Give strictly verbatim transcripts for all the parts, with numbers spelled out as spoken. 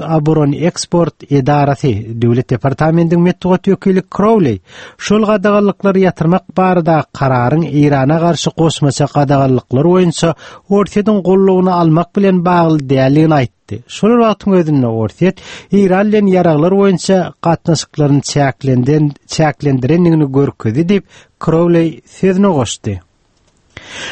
Oboroneksport edarasy, Döwlet departamentiniň metbugat wekili Crowley şol gadaganlyklary ýatyrmak barada kararyň Eýrana garşy goşmaça gadaganlyklar boýunça Orsýetiň goldawyny almak bilen bagly däldigini aýtdy. Şol wagtyň özünde Orsýet Eýran bilen ýaraglar boýunça gatnaşyklaryny çäklenden çäklendirendigini görkezdi diýip Crowley sözüne goşdy.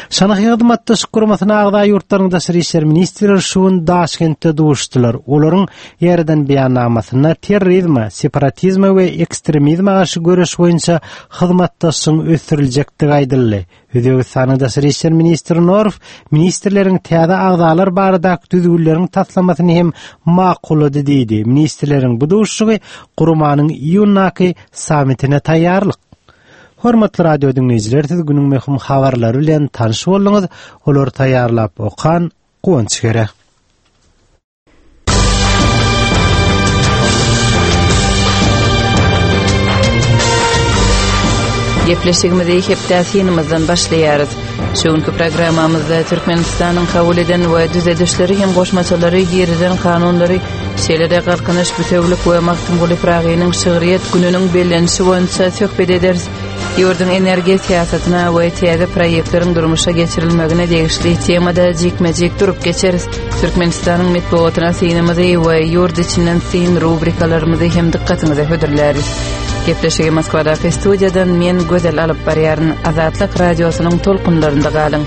Şanhaý Hyzmatdaşlyk Guramasyna agza ýurtlaryň daşary işler ministrleri şu gün Daşkentde duşdular. Olaryň ýerden beýannamasynda terrorizme, separatizme we ekstremizme garşy göreş boýunça hyzmatdaşlygyň ösdüriljekdigi aýdyldy. Özbegistanyň daşary işler ministri Norov ministrleriň täze agzalar baradaky düzgünleriň taslamasyny hem makullady diýdi. Ministrleriň bu duşuşygy guramanyň iýundaky sammitine taýýarlyk. Hormatly radio dinleýjiler, siz günüň möhüm habarlary bilen tanyş bolduňyz. Olary taýýarlap okan Guwanç Gere. Gepleşigimizi hepde synymyzdan başlaýarys. Şu günkü programmamyzda Türkmenistanyň kabul eden we düzedişleri hem goşmaçalary girizen kanunlary, şeýle-de Galkynyş bütewlik we Magtymguly Pyragynyň şygryýet gününiň bellenişi boýunça söhbet ederis. Ýurduň energiýa syýasatyna we täze proýektleriň durmuşa geçirilmegine degişli temada jikme-jik durup geçeris. Türkmenistanyň metbugatyna synymyzy we ýurt içinden syn rubrikalarymyzy hem dykgatyňyza hödürläris. Gepleşigi Moskwadaky studiýadan men Gözel alyp barýaryn. Azatlyk radiosynyň tolkunlarynda galyň.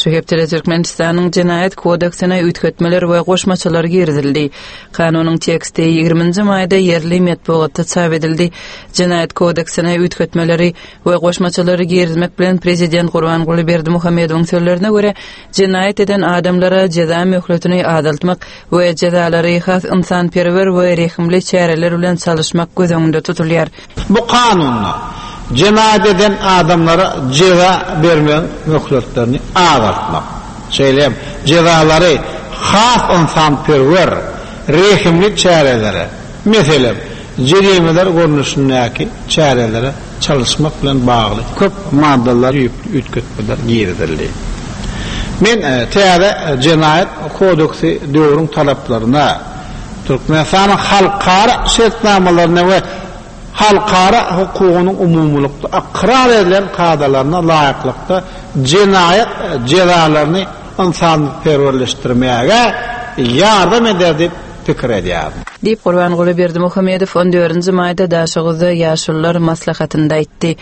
Şu hepdede Türkmenistanyň Jenaýat kodeksine üýtgetmeler we goşmaçalar girizildi. Kanunyň teksti ýigriminji maýda ýerli metbugatda çap edildi. Jenaýat kodeksine üýtgetmeleri we goşmaçalary girizmek bilen Prezident Gurbanguly Berdimuhamedowyň sözlerine görä, jenaýat eden adamlara jeza möhletini azaltmak we jezalary has ynsanperwer we rehimli çäreler bilen çalyşmak göz öňünde tutulýar. Bu kanunda jenaýat eden adamlara jeza bermegiň möhletlerini azaltmak, şeýle hem jezalary has ynsanperwer, rehimli çärelere, meselem, jerimeler görnüşindäki çärelere çalyşmak bilen bagly köp maddalar düýpli üýtgetmeler girizildi. Men täze jenaýat kodeksi döwrüň talaplaryna, Türkmenistanyň halkara şertnamalaryna we halkara hukugynyň umumylykda ykrar edilen kadalaryna laýyklykda jenaýat jezalaryny ynsanperwerleşdirmäge ýardam eder diýip pikir edýärin. Diýip Gurbanguly Berdimuhamedow on dördünji maýda Daşoguzda ýaşulular maslahatynda aýtdy.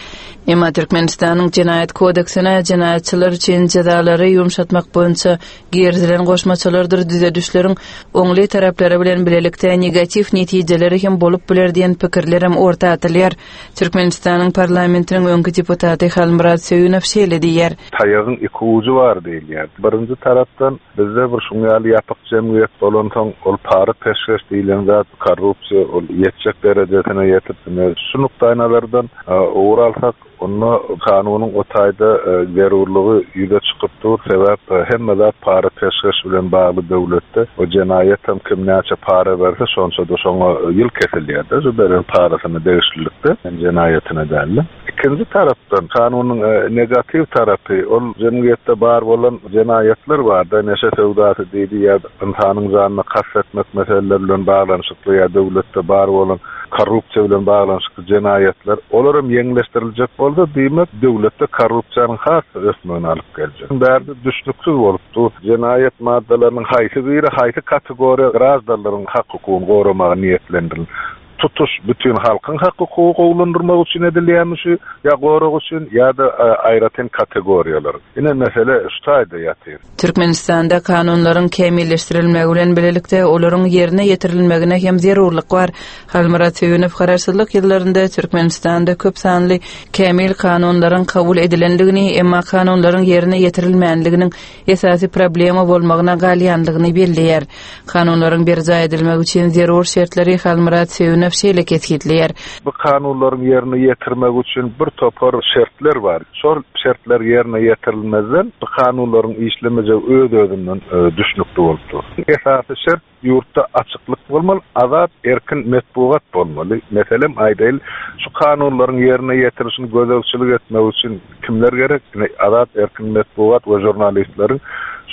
Emma Türkmenistanyň Jenaýat kodeksine jenaýatçylar üçin jezalary ýumşatmak boýunça girizilen goşmaçalardyr düzedişleriň oňly taraplary bilen bilelikde negatiw netijeleri hem bolup biler diýen pikirlerem orta atylýar. Türkmenistanyň parlamentiniň öňki deputaty Halmyrat Söýünow şeýle diýýär. Taýagyň iki ujy bar diýilýär. Birinji tarapdan bizde bir şuň ýaly ýapyk jemgyýet bolansoň, ol para peşgeş diýilen zat, korrupsiýa ol ýetjek derejesine ýetip, ine, şu nukdaýnazardan, e, ugur alsak, onda kanunyň o taýda, e, zerurlygy ýüze çykyp dur. Sebäp, e, hemme zat para peşgeş bilen bagly döwletde. O jenaýat hem kim näçe para berse, şonça da şoňa ýyl kesilýär-de, şu beren parasyna degişlilikde, jenaýatyna däldi. Ikinji tarapdan kanunyň, e, negatiw tarapy, ol jemgyýetde bar bolan jenaýatlar bar-da, neşe söwdasy diýdi ýa ynsanyň janyna kast etmek meseleleri bilen baglanyşykly ýa döwletde bar bolan korrupsiýa bilen baglanyşykly jenaýatlar, olar hem ýeňilleşdiriljek bolsa, diýmek, döwletde korrupsiýanyň has ösmegini alyp geljek. Bärde düşnüksiz bolup dur. Jenaýat maddalarynyň haýsy biri, haýsy kategoriýa graždanlaryň hak hukugyny goramaga niýetlendirildi. Tutuş bütün halkyň hak hukugy gowulandyrmak üçin edilýärmi şu, ýa gorag üçin, ýa-da, e, aýratyn kategoriýalar. Ine mesele şu taýda ýatyr. Türkmenistanda kanunlaryň kämilleşdirilmegi bilen bilelikde olaryň ýerine ýetirilmegine hem zerurlyk bar. Halmyrat Söýünow garaşsyzlyk ýyllarynda Türkmenistanda köp sanly kämil kanunlaryň kabul edilendigini, emma kanunlaryň ýerine ýetirilmänliginiň esasy problema bolmagyna galýanlygyny belleýär. Kanunlaryň berjaý edilmegi üçin zerur şertleri Halmyrat Söýünow şeýle kesgitleýär. Bu kanunlaryň ýerine ýetirmek üçin bir topar şertler bar. Şol şertler ýerine ýetirilmezden bu kanunlaryň işlemejegi öz-özünden, e, düşnükli bolup dur. Esasy şert Ýurtda açyklyk bolmaly, azat, erkin metbugat bolmaly. Meselem, aýdaýyl, şu kanunlaryň ýerine ýetirilişini gözegçilik etmek üçin kimler gerek? Ine, azat, erkin metbugat we žurnalistleriň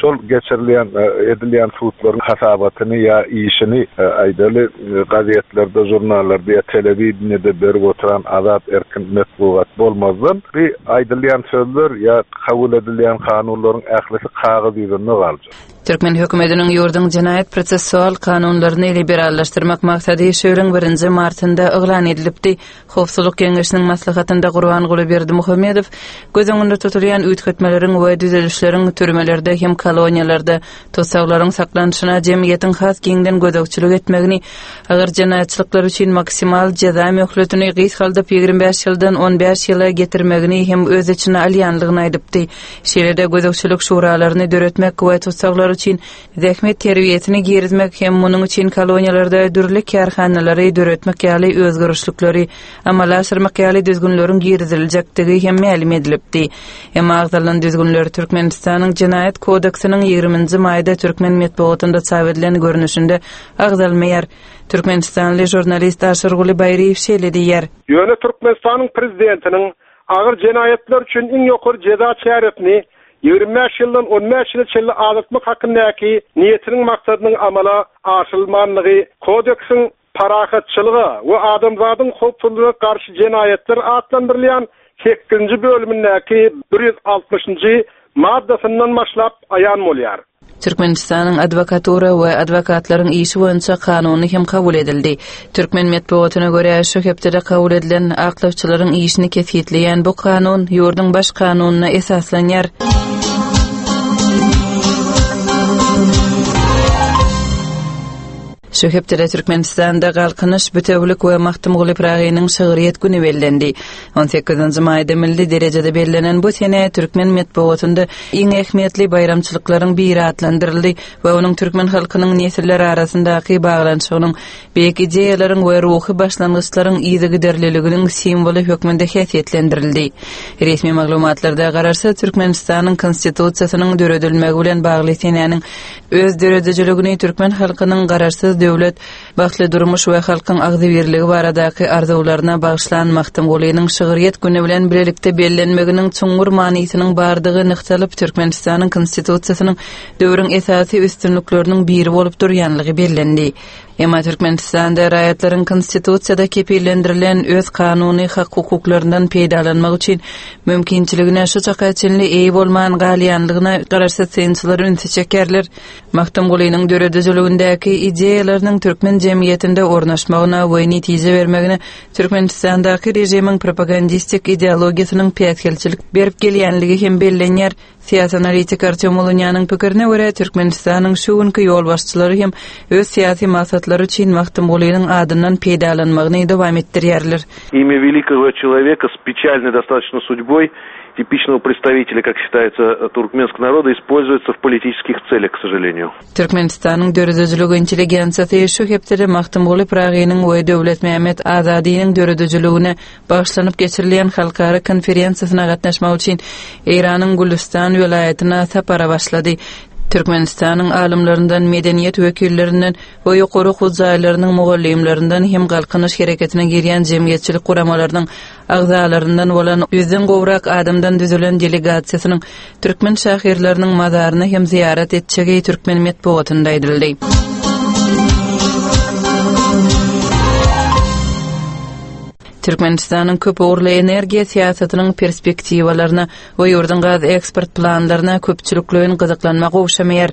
şol geçirilýän, e, edilýän sudlaryň hasabatyny ýa işini, e, aýdaly, e, gazetlerde, žurnallarda ýa telewideniýede berip oturan azat, erkin metbugat bolmazdan, bir aýdylýan sözler ýa kabul edilýän kanunlaryň ählisi kagyz ýüzünde galjak. Türkmen hökümetiniň ýurduň jenaýat prosessual kanunlaryny liberallaşdyrmak maksady şu ýylyň birinji martynda yglan edilipdi. Howpsuzlyk Geňeşiniň maslahatynda Gurbanguly Berdimuhamedow göz öňünde tutulýan üýtgetmeleriň we düzedişleriň türmelerde hem koloniýalarda tussaglaryň saklanyşyna jemgyýetiň has giňden gözegçilik etmegini, agyr jenaýatçylyklar üçin maksimal jeza möhletini gysgaldyp ýigrimi bäş ýyldan on bäş ýyla getirmegini hem öz içine alýanlygyny aýdypdy. Şeýle-de gözegçilik şuralaryny döretmek we tussaglar üçin zähmet terbiýesini girizmek hem munuň üçin koloniýalarda dürli kärhanalary döretmek ýaly özgerişlikleri amala aşyrmak ýaly düzgünleriň giriziljekdigi hem mälim edilipdi. Emma agzalan düzgünler Türkmenistanyň Jenaýat kodeksiniň ýigriminji maýda türkmen metbugatynda çap edilen görnüşinde agzalmaýar. Türkmenistanly žurnalist Aşyrguly Baýryýew şeýle diýýär. Ýöne Türkmenistanyň prezidentiniň agyr jenaýatlar üçin iň ýokary jeza çäresini ýigrimi bäş ýyldan on bäş ýyla çenli azaltmak hakyndaky niýetiniň maksadynyň amala aşyrylmanlygy kodeksiň parahatçylyga we adamzadyň howpsuzlygyna garşy jenaýatlar atlandyrylýan sekizinji bölümindäki bir ýüz altmyşynjy maddasyndan başlap aýan bolýar. Türkmenistanyň adwokatura we adwokatlaryň işi boýunça kanuny hem kabul edildi. Türkmen metbugatyna görä şu hepdede kabul edilen aklawçylaryň işini kesgitleýän bu kanun ýurduň baş kanunyna esaslanýar. Şu hepdede Türkmenistanda Galkynyş, Bütewlik we Magtymguly Pyragynyň şygryýet güni bellendi. on sekizinji maýda milli derejede bellenen bu sene türkmen metbugatynda iň ähmiýetli baýramçylyklaryň biri atlandyryldy we onuň türkmen halkynyň nesiller arasyndaky baglanyşygynyň, beýik ideýalaryň we ruhy başlangyçlaryň yzygiderliliginiň simwoly hökmünde häsiýetlendirildi. Resmi maglumatlarda Garaşsyz Türkmenistanyň Konstitusiýasynyň döredilmegi bilen bagly senäniň öz döredijiligini türkmen halkynyň garaşsyz döwlet, bagtly durmuş we halkyň agzybirligi baradaky arzuwlaryna bagyşlan Magtymgulynyň şygryýet güni bilen bilelikde bellenmeginiň çuňňur manysynyň bardygy nygtalyp, Türkmenistanyň Konstitusiýasynyň döwrüň esasy üstünlikleriniň biri bolup durýanlygy bellendi. Emma Türkmenistanda raýatlaryň Konstitusiýada kepillendirilen öz kanuny hak hukuklaryndan peýdalanmak üçin mümkinçiligine şu çaka çenli eýe bolman galýanlygyna garaşsyz synçylar ünsi çekerler. Magtymgulynyň döredijiligindäki ideýalarynyň türkmen jemgyýetinde ornaşmagyna we netije bermegine Türkmenistandaky režimiň propagandistik ideologiýasynyň päsgelçilik berip gelýänligi hem bellenýär. Syýasy analitik Artyom Ulunýanyň pikirine görä Türkmenistanyň şu günki ýolbaşçylary hem öz syýasy maksatlary üçin Magtymgulynyň adyndan peýdalanmagyny dowam etdirýärler. Имя великого человека с печальной достаточно судьбой типичного представителя, как считается, туркменского народа, используется в политических целях, к сожалению. Türkmenistanyň döredijilik intelligensiýasy şu hepdede Magtymguly Pyragynyň we Döwletmämmet Azadynyň döredijiligine bagyşlanyp geçirilýän halkara konferensiýasyna gatnaşmak üçin Eýranyň Gülüstan welaýatyna sapara başlady. Türkmenistanyň alymlaryndan, medeniýet wekillerinden we ýokary okuw jaýlarynyň mugallymlaryndan hem Galkynyş hereketine girýän jemgyýetçilik guramalarynyň agzalaryndan bolan ýüzden gowrak adamdan düzülen delegasiýasynyň türkmen şahyrlarynyň mazaryna hem ziýaret etjegi türkmen metbugatynda aýdyldy. Türkmenistanyň köp ugurly energiýa syýasatynyň perspektiwalaryna we ýurduň gaz eksport planlaryna köpçülikleýin gyzyklanma gowşamaýar.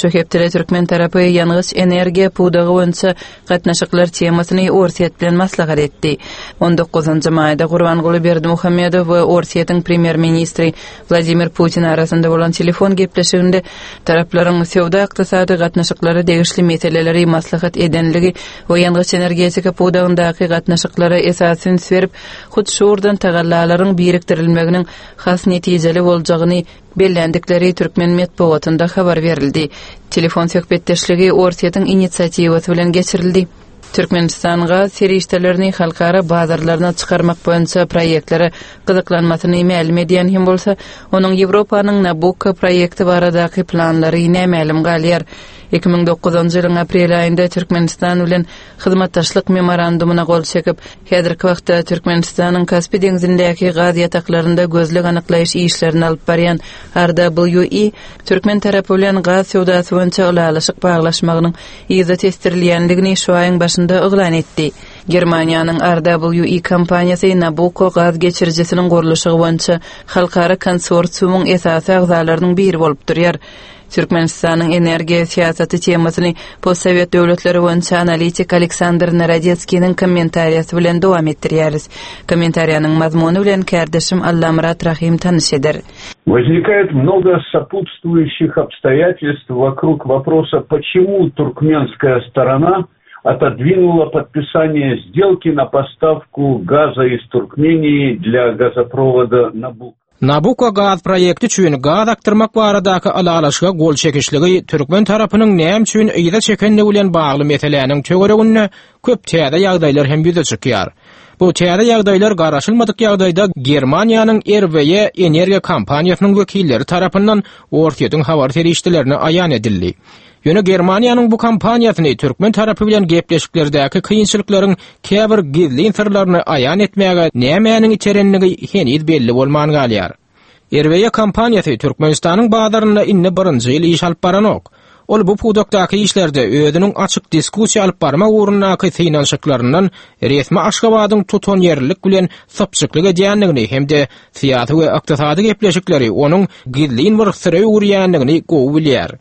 Şu hepdede türkmen tarapy ýangyç energiýa pudagy boýunça gatnaşyklar temasyny Orsýet bilen maslahat etdi. on dokuzynjy maýda Gurbanguly Berdimuhamedow we Orsýetiň premýer-ministri Wladimir Putin arasynda bolan telefon gepleşiginde taraplaryň söwda-ykdysady gatnaşyklara degişli meseleleri maslahat edenligi we ýangyç energetika pudagyndaky gatnaşyklara esas üns berip, hut şurdan tagallalaryň birikdirilmeginiň has netijeli boljagyny bellendikleri türkmen metbugatynda habar berildi. Telefon söhbetdeşligi Orsýetiň inisiatiwasy bilen geçirildi. Türkmenistan gaz serişdelerini halkara bazarlaryna çykarmak boýunça proýektlere gyzyklanmasyny mälim edýän hem bolsa, onuň Ýewropanyň Nabucco proýekti baradaky planlary nämälim galýar. Iki müň dokuzynjy ýylyň aprel aýynda Türkmenistan bilen hyzmatdaşlyk memorandumyna gol çekip, häzirki wagtda Türkmenistanyň Kaspi deňzindäki gaz ýataklarynda gözleg anyklaýyş işlerini alyp barýan R W E türkmen tarapy bilen gaz söwdasy boýunça ylalaşyk baglaşmagynyň yza tesdirilýändigini şu aýyň başynda yglan etdi. Germaniýanyň R W E kompaniýasy Nabucco gaz geçirijisiniň gurluşygy boýunça halkara konsorsiumyň esasy agzalarynyň biri bolup durýar. Türkmenistanyň energiýa syýasaty temasyny postsowet döwletleri boýunça analitik Aleksandr Narodetskiniň kommentariýasy bilen dowam etdirýäris. Kommentariýanyň mazmuny bilen kärdeşim Allamyrat Rahim tanyş eder. Возникает много сопутствующих обстоятельств вокруг вопроса, почему туркменская сторона отодвинула подписание сделки на поставку газа из Туркмении для газопровода Набукко. Nabucco gaz proýekti üçin gaz akdyrmak baradaky ylalaşyga gol çekişligi türkmen tarapynyň näme üçin yza çekenligi bilen bagly meseläniň töwereginde köp täze ýagdaýlar hem ýüze çykýar. Bu täze ýagdaýlar garaşylmadyk ýagdaýda Germaniýanyň R W E energiýa kompaniýasynyň wekilleri tarapyndan Orsýetiň habar serişdelerine aýan edildi. Ýöne Germaniýanyň bu kompaniýasyny türkmen tarapy bilen gepleşiklerdäki kynçylyklaryň käbir gizlin syrlaryny aýan etmäge nämäniň iterenligi heniz belli bolman galýar. R W E kompaniýasy Türkmenistanyň bazarynda indi birinji ýyl iş alyp baranok. Ol bu pudakdaky işlerde özüniň açyk diskussiýa alyp barmak ugrundaky synanyşyklaryndan resmi Aşgabadyň tutanýerlilik bilen sypjyklyk edýändigini hem-de syýasy we ykdysady gepleşikleri onuň gizlin bir syra öwürýändigini gowy bilýär.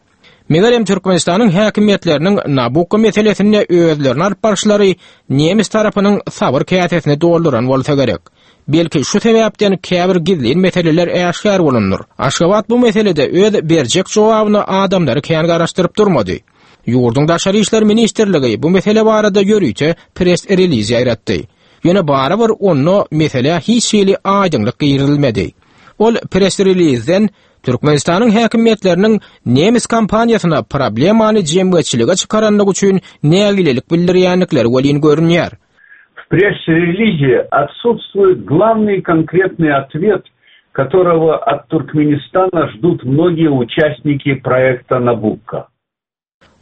Megerem Türkmenistanyň häkimiýetleriniň Nabucco meselesinde özlerini alyp baryşlary nemes tarapynyň sabyr käsesini dolduran bolsa gerek. Belki şu sebäpden käbir gizlin meseleler äşgär bolundyr. Aşgabat bu meselede öz berjek jogabyny adamlary kän garaşdyryp durmady. Ýurduň Daşary İşler Ministrligi bu mesele barada ýörite press release ýaýratdy. Ýöne barybir onda mesele hiç hili aýdyňlyk girizilmedi. Ol press release'den Türkmenistanyň häkimiýetleriniň nemes kompaniýasyna problemany jemgyýetçilige çykaranlygy üçin nägilelik bildirýändikleri welin görünýär. В пресс-релизе отсутствует главный конкретный ответ, которого от Туркменистана ждут многие участники проекта Набукко.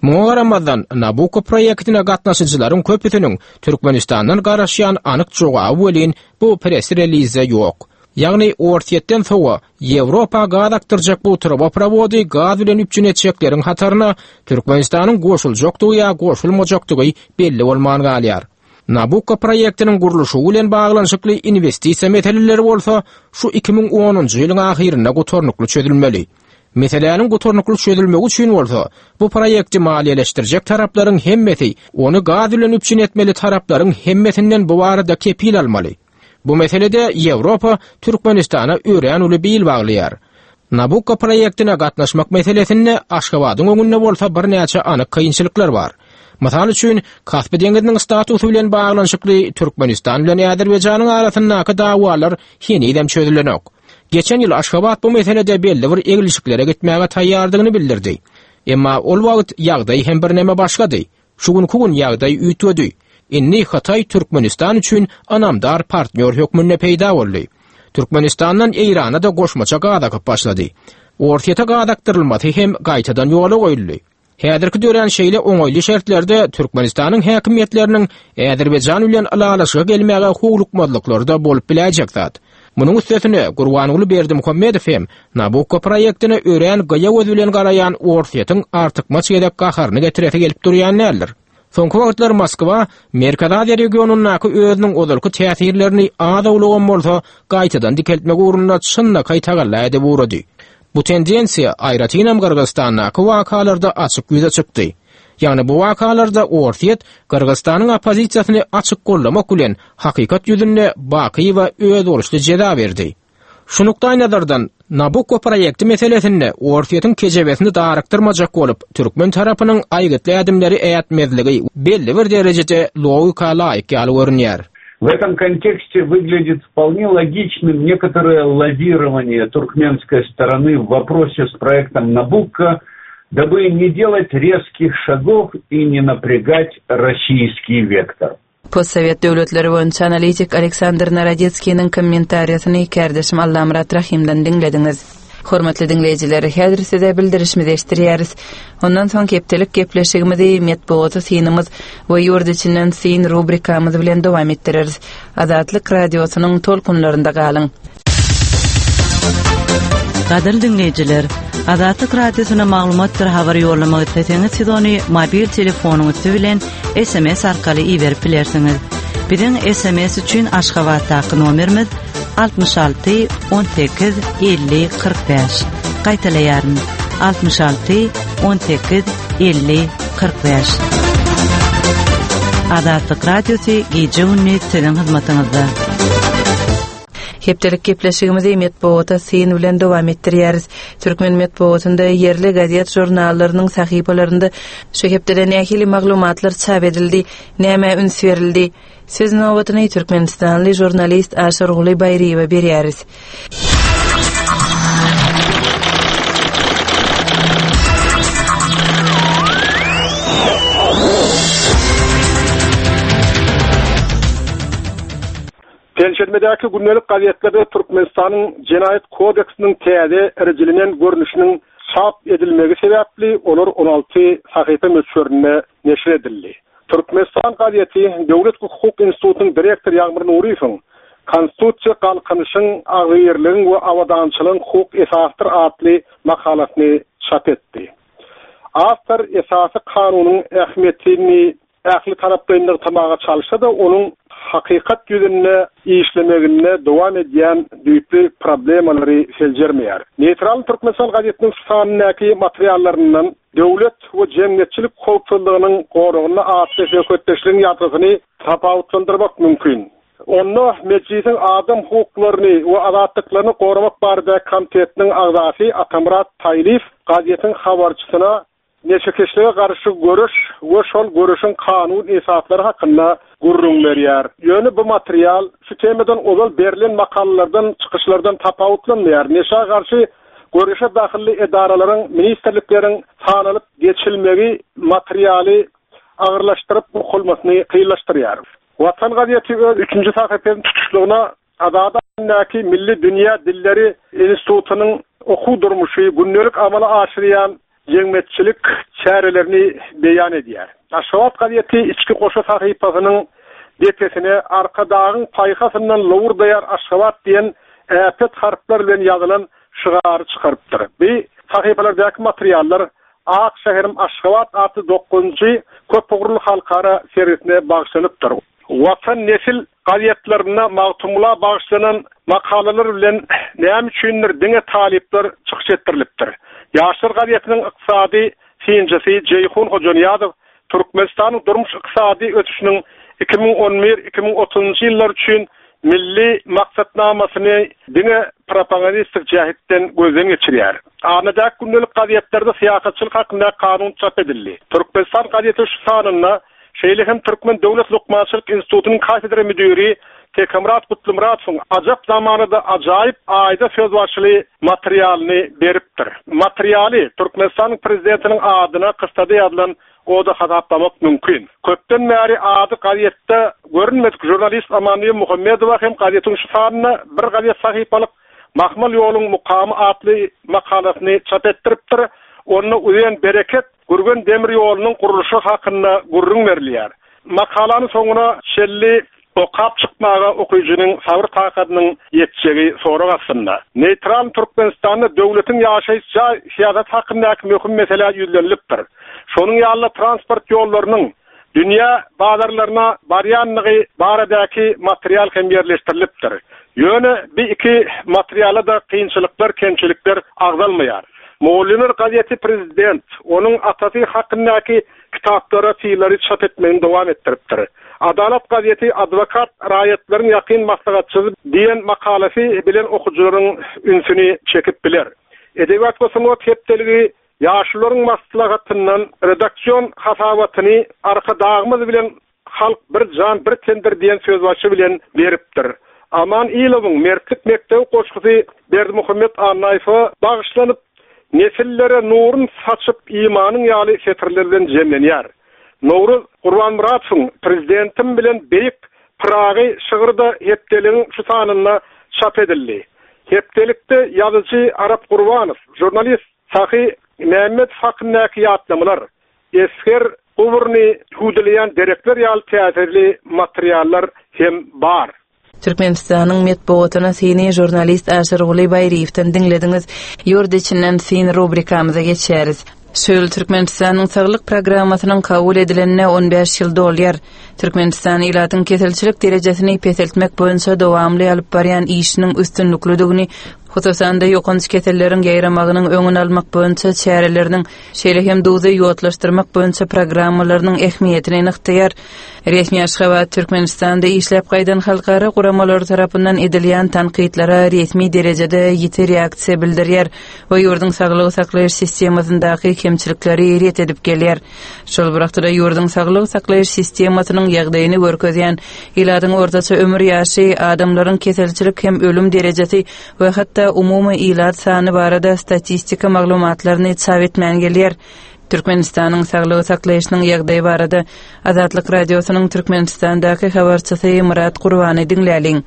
Muňa garamazdan Nabucco proýektine gatnaşyjylaryň köpüsiniň Türkmenistandan garaşýan anyk jogaby welin bu press-release'de ýok. Ýagny Orsýetden sowa Ýewropa gaz akdyrjak bu truboprovody gaz bilen üpjün etjekleriň hataryna Türkmenistanyň goşuljakdygy ýa goşulmajakdygy belli bolman galýar. Nabucco proýektiniň gurluşy bilen baglanyşykly investisiýa meseleleri bolsa şu iki müň onunjy ýylyň ahyrynda gutarnykly çözülmeli. Meseläniň gutarnykly çözülmegi üçin bolsa bu proýekti maliýeleşdirjek taraplaryň hemmesi ony gaz bilen üpjün etmeli taraplaryň hemmesinden bu barada kepil almaly. Bu meselede Ýewropa Türkmenistana örän uly bil baglaýar. Nabucco proýektine gatnaşmak meselesinde Aşgabadyň öňünde bolsa birnäçe anyk kynçylyklar bar. Mysal üçin Kaspi deňziniň statusy bilen baglanyşykly Türkmenistan bilen Azerbaýjanyň arasyndaky dawalar henizem çözülenok. Geçen ýyl Aşgabat bu meselede belli bir eglişiklere gitmäge taýýardygyny bildirdi. Emma ol wagt ýagdaý hem birneme başgady. Şu günkü gün ýagdaý üýtgedi. Inni Hytaý Türkmenistan üçin anamdar partnýor hökmünde peýda boldy. Türkmenistandan Eýrana da goşmaça gaz akyp başlady. Orsýete gaz akdyrylmasy hem gaýtadan ýola goýuldy. Häzirki dörän şeýle oňaýly şertlerde Türkmenistanyň häkimiýetleriniň Azerbaýjan bilen ylalaşyga gelmäge howlukmazlyklary bolup biläýjek zat. Munuň üstesine Gurbanguly Berdimuhamedow hem Nabucco proýektine örän gyýa göz bilen garaýan Orsýetiň artykmaç gezek gaharyny getiresi gelip durýan däldir. Soňky wagtlar Moskwa Merkezi Aziýa regionyndaky özüniň ozalky täsirlerini az-owlagam bolsa gaýtadan dikeltmek ugrunda çynlakaý tagalla edip ugrady. Bu tendensiýa aýratynam Gyrgyzystandaky wakalarda açyk ýüze çykdy. Ýagny bu wakalarda Orsýet Gyrgyzystanyň oppozisiýasyny açyk gollamak bilen hakykat ýüzünde Bakyýewa öz boluşly jeza berdi. Şu nukdaý nazardan Nabucco proýekti meselesinde Orsýetiň kejebesini daryktyrmajak bolup, türkmen tarapynyň aýgytly ädimleri ätmezligi belli bir derejede logika laýyk ýaly görünýär. В этом контексте выглядит вполне логичным некоторое лавирование туркменской стороны в вопросе с проектом Набукко, дабы не делать резких шагов и не напрягать российский вектор. Postsowet döwletleri boýunça analitik Aleksandr Narodetskiniň kommentariýasyny kärdeşim Allamyrat Rahimden diňlediňiz. Hormatly diňleýjiler, häzir size bildirişimizi eşitdirýäris. Ondan soň hepdelik gepleşigimizi metbugaty synymyz we ýurt içinden syn rubrikamyz bilen dowam etdireris. Azatlyk radiosynyň tolkunlarynda galyň. Gadyrly dinleýjiler, Azatlyk radiosyna maglumatdyr habar ýollamak isleseňiz, siz ony mobil telefonyň üsti bilen S M S arkaly iberip bilersiňiz. Biziň S M S üçin Aşgabatdaky nomerimiz altmyş alty on sekiz elli kyrk bäş. Gaýtalaýaryn. altmyş alty on sekiz elli kyrk bäş. Azatlyk radiosy gije gündüz siziň hyzmatyňyzda. Hepdelik gepleşigimizi metbugata syn bilen dowam etdirýäris. Türkmen metbugatynda ýerli gazet žurnallarynyň sahypalarynda şu hepdede nähili maglumatlar çap edildi, näme üns berildi? Söz nobatyny Türkmenistanly žurnalist Aşyrguly Baýryýewe berýäris. Penşenbedäki gündelik gazetlerde Türkmenistanyň Jenaýat kodeksiniň täze rejelenen görnüşiniň çap edilmegi sebäpli olar on alty sahypa möçberinde neşir edildi. Türkmenistan gazeti Döwlet Hukuk Institutynyň direktory Ýagmyr Nuriýewiň Konstitusiýa galkynyşyň, agzybirligiň we abadançylygyň hukuk esasydyr atly makalasyny çap etdi. Awtor esasy kanunyň ähmiýetini ähli taraplaýyn nygtamaga çalyşsa-da, onuň hakykat ýüzünde işlemeginde dowam edýän düýpli problemalary seljermeýär. Neýtral Türkmenistan gazetiniň şu sanyndaky materiallaryndan Döwlet we jemgyýetçilik howpsuzlygynyň goragynda atly söhbetdeşligiň ýazgysyny tapawutlandyrmak mümkin. Onda Mejlisiň adam hukuklaryny we azatlyklaryny goramak barada komitetiniň agzasy Atamyrat Taýlyýew gazetiň habarçysyna neşekeşlige garşy göreş we şol göreşiň kanun esaslary hakynda gürrüň berýär. Ýöne bu material şu temadan ozal berlen makalalardan, çykyşlardan tapawutlanmaýar. Neşä garşy göreşe dahilli edaralaryň, ministrlikleriň sanalyp geçilmegi materialy agyrlaşdyryp okulmasyny kynlaşdyrýar. Watan gazeti öz üçünji sahypasynyň tutuşlygyna Azady adyndaky Milli Dünýä Dilleri Institutynyň okuw durmuşy gündelik amala aşyrýan jemgyýetçilik çärelerini beýan edýär. Aşgabat gazeti içki goşa sahypasynyň depesine Arkadagyň paýhasyndan lowurdaýar Aşgabat diýen äpet harplar bilen ýazylan şygary çykarypdyr. Bu sahypalardaky materiallar Ak şäherim Aşgabat atly dokuzynjy köpugurly halkara sergisine bagyşlanypdyr. Watan Nesil gazetlerinde Magtymgula bagyşlanan makalalar bilen näme üçindir diňe talyplar çykyş etdirilipdir. Ýaşlar gazetiniň ykdysady synçysy Jeýhun Hojanyýazow Türkmenistanyň durmuş ykdysady ösüşiniň iki müň on bir iki müň otuzynjy ýyllar üçin milli maksatnamasyny diňe propagandistik jähetden gözden geçirýär. Anadäk gündelik gazetlerde syýasatçylyk hakynda kanun çap edildi. Türkmenistan gazeti şu sanynda şeýle hem Türkmen Döwlet Lukmançylyk Institutynyň kafedra müdiri Tekamrat Kutlumuratowyň ajap zamanada ajaýyp aýda sözbaşyly materialyny beripdir. Materialy Türkmenistanyň prezidentiniň adyna kysada ýazylan oda hasaplamak mümkin. Köpden bäri ady gazetde görünmedik jurnalist Amanly Muhammedowa hem gazetiň şu sanynda bir gazet sahypalyk Mahmal ýoluň mukamy atly makalasyny çap etdiripdir. Onda uzen bereket Gürgen demir ýolunyň gurluşy hakynda gürrüň berilýär. Makalanyň soňuna şelli okap çykmaga okyjynyň sabyr takadynyň ýetjegi sorag astynda. Neýtral Türkmenistanda döwletiň ýaşaýyş jaý syýasat hakyndaky möhüm mesele ýüzlenilipdir. Şonuň ýaly transport ýollarynyň dünýä bazarlaryna barýanlygy baradaky material hem ýerleşdirilipdir. Ýöne bir iki materiala da kynçylyklar, kemçilikler agzalmaýar. Mugallymlar gazeti prezident, onuň atasy hakyndaky kitaplara sylary çap etmegini dowam etdiripdir. Adalat gazeti adwokat raýatlaryň ýakyn maslahatçysy diýen makalasy bilen okujylaryň ünsüni çekip biler. Edebiýat we sungat hepdeligi ýaşlaryň maslahatyndan redaksion hasabatyny Arkadagymyz bilen halk bir jan bir tendir diýen sözbaşy bilen beripdir. Aman Ilowyň Mertlik mekdebi goşgusy Berdimuhammet Annaýewe bagyşlanyp, nesillere nurun saçyp imanyň ýaly setirler bilen jemlenýär. Nowruz Gurbanmuratowyň prezidentim bilen beýik Pyragy şygyrda hepdeligiň şu sanynda çap edildi. Hepdelikde ýazyjy Arap Gurbanow, žurnalist Sahy Mehmet hakyndaky ýatlamalar, esger guburyny hüwdüleýän derekler ýaly täsirli materiallar hem bar. Türkmenistanyň metbugatyna syny žurnalist Aşyrguly Baýryýewden diňlediňiz. Ýurt içinden syn rubrikamyza geçýäris. Şu ýyl Türkmenistanyň saglyk programmasynyň kabul edilenine on bäş ýyl dolýar. Türkmenistan ilatyň keselçilik derejesini peseltmek boýunça dowamly alyp barýan işiniň üstünliklidigini, hususan-da ýokanç keselleriň ýaýramagynyň öňüni almak boýunça çäreleriniň, şeýle hem duzy ýodlaşdyrmak boýunça programmalarynyň ähmiýetini nygtaýar. Resmi Aşgabat Türkmenistanda işläp gaýdan halkara guramalary tarapyndan edilýän tankytlara resmi derejede ýiti reaksiýa bildirýär we ýurduň saglygy saklaýyş sistemasyndaky kemçilikleri ret edip gelýär. Şol bir wagtda ýurduň saglygy saklaýyş sistemasynyň ýagdaýyny görkezýän ilatyň ortaça ömür ýaşy, adamlaryň keselçilik hem ölüm derejesi we hatda umumy ilat sany barada statistika maglumatlaryny çap etmän gelýär. Türkmenistanyň saglygy saklaýyşynyň ýagdaýy barada Azatlyk Radiosynyň Türkmenistandaky habarçysy Murat Gurbany diňläliň.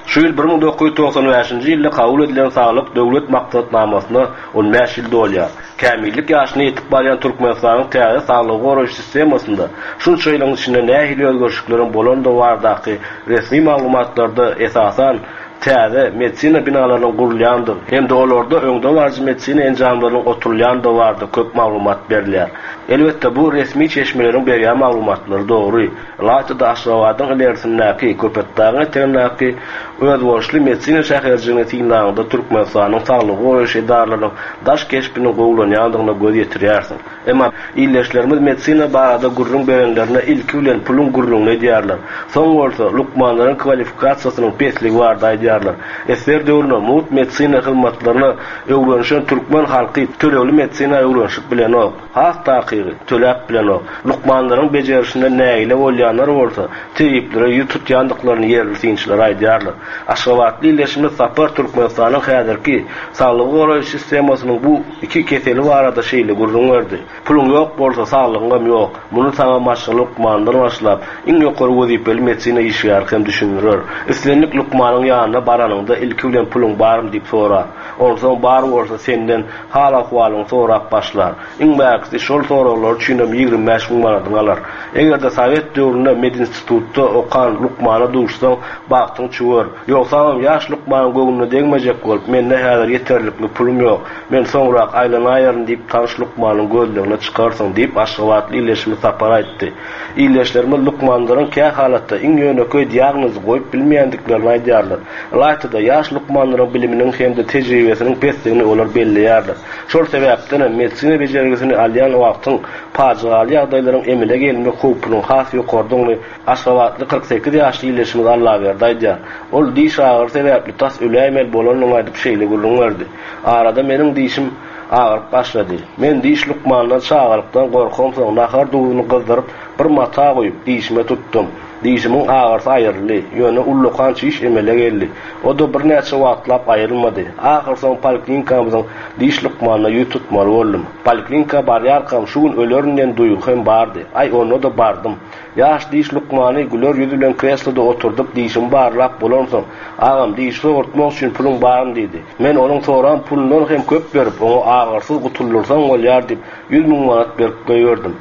Şu ýyl bir müň dokuz ýüz togsan bäşinji ýylda kabul edilen saglyk döwlet maksatnamasyna on bäş ýyl dolýar. Kämillik ýaşyna ýetip barýan Türkmenistanyň täze saglygy goraýyş sistemasynda şunça ýylyň içinde nähili özgerişlikleriň bolandygy baradaky resmi maglumatlarda esasan täze medisina binalarynyň gurulýandygy hem-de olarda öňde baryjy medisina enjamlarynyň oturulýandygy barada köp maglumat berilýär. Elbetde bu resmi çeşmeleriň berýän maglumatlary dogry. Ylaýta-da Aşgabadyň ilerisindäki Köpetdagyň etegindäki özboluşly medisina şäherjigini synlanyňda Türkmenistanyň saglygy goraýyş edaralarynyň daş keşbiniň gowulanýandygyna göz ýetirýärsiň. Emma ildeşlerimiz medisina barada gürrüň berenlerine ilki bilen puluň gürrüňini edýärler. Soň bolsa lukmanlaryň kwalifikasiýasynyň pesligi barada aýdýarlar. Esger döwründe mugt medisina hyzmatlaryna öwrenişen türkmen halky tölegli medisina öwrenişip bilenok. Has takygy töläp bilenok. Lukmanlaryň bejerişinden nägile bolýanlar bolsa tebiplere ýüz tutýandyklaryny ýerli synçylar aýdýarlar. Aşgabatly ildeşimiz Sapar Türkmenistanyň häzirki saglygy goraýyş sistemasynyň bu iki keseli barada şeýle gürrüň berdi. Puluň ýok bolsa saglygyň hem ýok. Muny saňa maşgala lukmanlar başlap, iň ýokary wezipeli medisina işgäri hem düşündirer. Islendik lukmanyň ýanyna baranyňda ilki bilen puluň barmy diýip sorar. Onsoň bar bolsa senden hal ahwalyňy sorap başlar. Iň bärkisi şol soraglar üçin hem ýigrimi bäş müň manadyny alar. Eger-de Sowet döwründe medinstitutda okan lukmana duşsaň, bagtyň çüwer. Ýogsam ýaş lukmanyň göwnüne degmejek bolup, mende häzir ýeterlikli pulum ýok. Men soňrak aýlanaýaryn diýip tanyş lukmanyň gözlegine çykarsyň diýip Aşgabatly ildeşimiz Sapar aýtdy. Ildeşlerimiz lukmanlaryň kä halatda iň ýönekeý diagnozy goýup bilmeýändiklerini aýdýarlar. Ylaýta-da ýaş lukmanlaryň biliminiň hem-de tejribesiniň pesligini olar belleýärler. Şol sebäpden hem medisina bejergisini alýan wagtyň pajygaly ýagdaýlaryň emele gelmek howpunyň has ýokardygyny Aşgabatly kyrk sekiz ýaşly ildeşimiz Allaberdi aýdýar. Ol diş agyry sebäpli tas öläýmeli bolanyny aýdyp şeýle gürrüň berdi. Arada meniň dişim agyryp başlady. Men diş lukmandan çagalykdan gorkamsoň nahar duzuny gyzdyryp bir mata goýup dişime tutdum. Dişimiň agyrysy aýryldy. Ýöne ullakan çiş emele geldi. O da birnäçe wagtlap aýrylmady. Ahyr soň poliklinikamyzyň diş lukmanyna ýüz tutmaly boldum. Poliklinika barýarkam şu gün ölerin diýen duýgy hem bardy. Aý onda da bardym. Ýaş diş lukmany güler ýüz bilen kresloda oturdyp dişimi barlap bolansoň, agam dişi sogurtmak üçin puluň barmy diýdi. Men onuň soran pulundan hem köp berip, oňa agyrsyz gutuldursaň bolýar diýip ýüz müň manat berip goýberdim.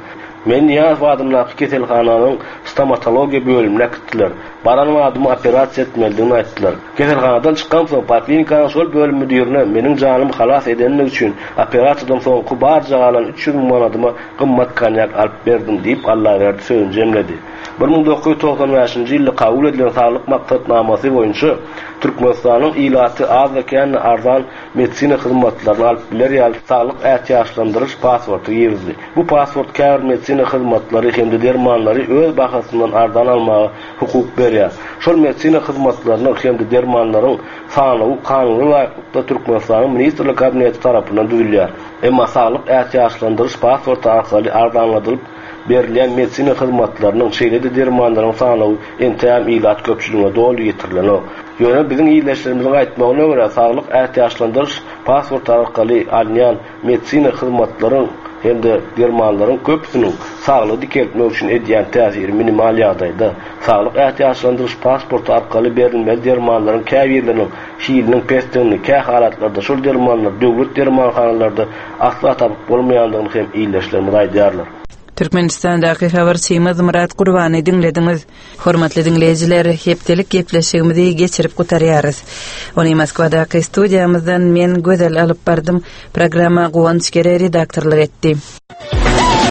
Men Niýazow adyndaky keselhananyň stomatologiýa bölümine äkitdiler. Baran adymy operasiýa etmelidigini aýtdylar. Keselhanadan çykamsoň poliklinikanyň şol bölüm müdirine meniň janymy halas edenligi üçin operasiýadan soňky barja galan üç ýüz müň manadyma gymmat konýak alyp berdim diýip Allaberdi sözüni jemledi. bir müň dokuz ýüz togsan bäşinji ýylda kabul edilen saglyk maksatnamasy boýunça Türkmenistanyň ilaty az-da kände arzan medisina hyzmatlaryny alyp biler ýaly saglyk ätiýaçlandyryş pasporty girizdi. Bu pasport käbir medisina hyzmatlary hem-de dermanlary öz bahasyndan arzan almaga hukuk berýär. Şol medisina hyzmatlarynyň hem-de dermanlaryň sanawy kanuna laýyklykda Türkmenistanyň Ministrler Kabineti tarapyndan düzülýär. Emma saglyk ätiýaçlandyryş pasporty arkaly arzanladylyp berilýän medisina hyzmatlarynyň şeýle-de dermanlaryň sanawy entäm ilat köpçüligine doly ýetirilenok. Ýöne biziň ildeşlerimiziň aýtmagyna görä saglyk ätiýaçlandyryş pasporty arkaly alynýan medisina hyzmatlaryň hem-de dermanlaryň köpüsiniň saglygy dikeltmek üçin edýän täsiri minimal ýagdaýda, saglyk ätiýaçlandyryş pasporty arkaly berilmeli dermanlaryň käbirleriniň hiliniň pesdigini, kähalatlarda şol dermanlar döwlet dermanhanalarda asla tapyp bolmaýandygyny hem ildeşlerimiz aýdýarlar. Türkmenistandaky habarçymyz Myrat Gurbany diňlediňiz. Hormatly diňleýjiler, hepdelik gepleşigimizi geçirip gutarýarys. Ony Moskwadaky studiýamyzdan men Gözel alyp bardym. Programma Guwanç Gere redaktorlyk etdi.